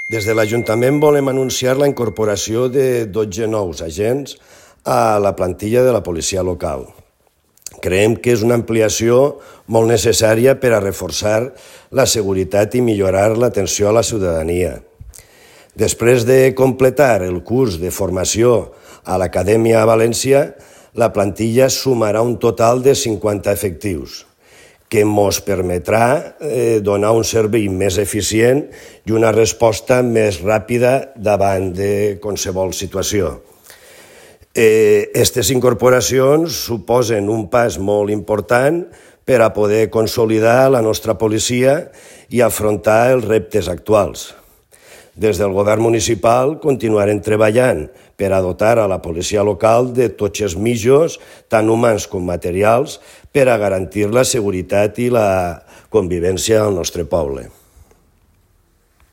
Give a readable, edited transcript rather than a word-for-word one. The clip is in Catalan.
Des de l'Ajuntament volem anunciar la incorporació de 12 nous agents a la plantilla de la policia local. Creiem que és una ampliació molt necessària per a reforçar la seguretat i millorar l'atenció a la ciutadania. Després de completar el curs de formació a l'Acadèmia a València, la plantilla sumarà un total de 50 efectius, que ens permetrà donar un servei més eficient i una resposta més ràpida davant de qualsevol situació. Aquestes incorporacions suposen un pas molt important per a poder consolidar la nostra policia i afrontar els reptes actuals. Des del govern municipal continuarem treballant per a dotar a la policia local de tots els mitjans, tant humans com materials, per a garantir la seguretat i la convivència al nostre poble.